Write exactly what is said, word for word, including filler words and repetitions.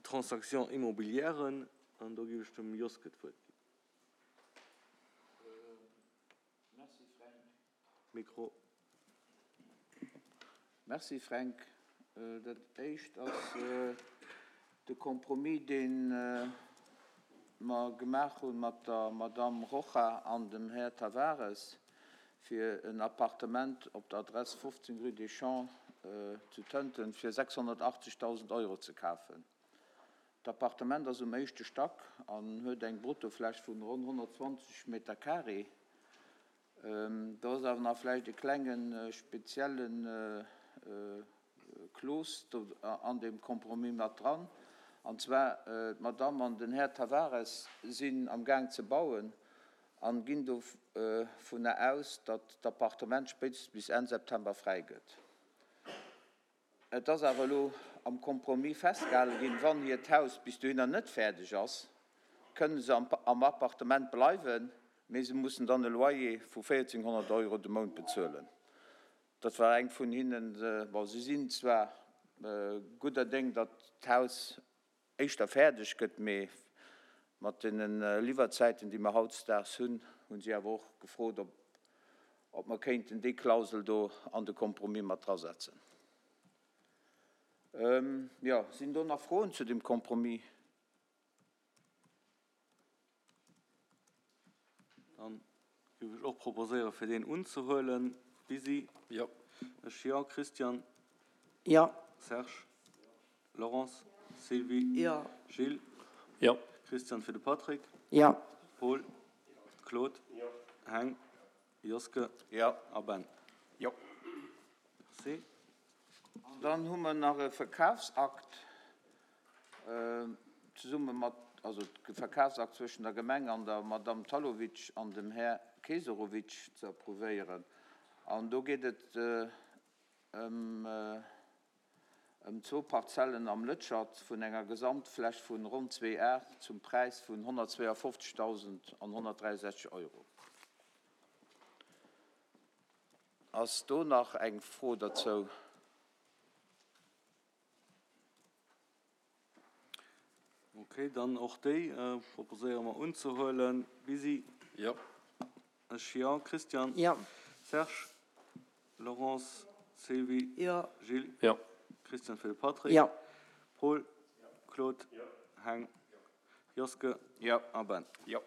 Transactions immobilièren. An do géif ech dem Joske d'Wuert ginn. Merci, Fränk. Mikro. Merci, Fränk. Dat Éischt ass de Compromis, dee mer gemaach hu mat der Madamm Rocha an dem Här Tavares, fir en Appartement op der Adress fofzéng rue des Champs zu Tënten fir sechshonnertachtzegdausend Euro ze kafen. D'Appartement ass um éischte Stack an huet eng Bruttofläch vun ronn honnertzwanzeg Meter carré. Do ass awer nach vläicht e klenge spezielle Clause do an deem Compromis mat dran, an zwar d'Madamm an den Här Tavares sinn am Gaang ze bauen an ginn dovunner aus, datt d'Appartement spéitstens bis Enn September fräi gëtt. Et ass awer elo am Compromis festgehale ginn, wann hiert Haus bis dohinner net fäerdeg ass, kënne se am Appartement bleiwen, mee se mussen dann e Loyer vu véierzehnhonnert Euro de Mount bezuelen. Dat war eng vun hinnen. Bon, si sinn zwar gudder Déng, datt d'Haus éischter fäerdeg gëtt, mee mat deene Liwwerzäiten, déi mer hautdesdaags hunn, hu si awer och gefrot, ob ob mer kéinten déi Klausel do an de Compromis mat drasetzen. Jo, sinn do nach Froen zu dem Compromis? Dann géif ech och proposéieren, fir deen unzehuelen. Bisi? Jo. Ech jo. Christian? Jo. Serge? Laurence? Sylvie? Jo. Gilles? Jo. Christian fir de Patrick? Jo. Paul? Claude? Heng? Joske? Jo. A Ben? Jo. Merci. An dann hu mer nach e Verkafsakt zesumme mat, also de Verkafsakt zwëschen der Gemeng an der Madamm Talovic an dem Här Keserovic ze approuvéieren. An do geet et ëm ëm zwou Parzellen am Lëtschert vun enger Gesamtfläch vun ronn zwee Ar zum Präis vun honnertzweeafofzegdausend an honnertdräisechzeg Euro. Ass do nach eng Fro derzou? Ok, dann och déi proposéiere mer unzehuelen. Bisi? Jo. Ech jo. Christian? Jo. Serge? Laurence? Sylvie? Jo. Gilles? Jo. Christian fir de Patrick? Jo. Paul? Claude? Heng? Joske? Jo. A Ben? Jo.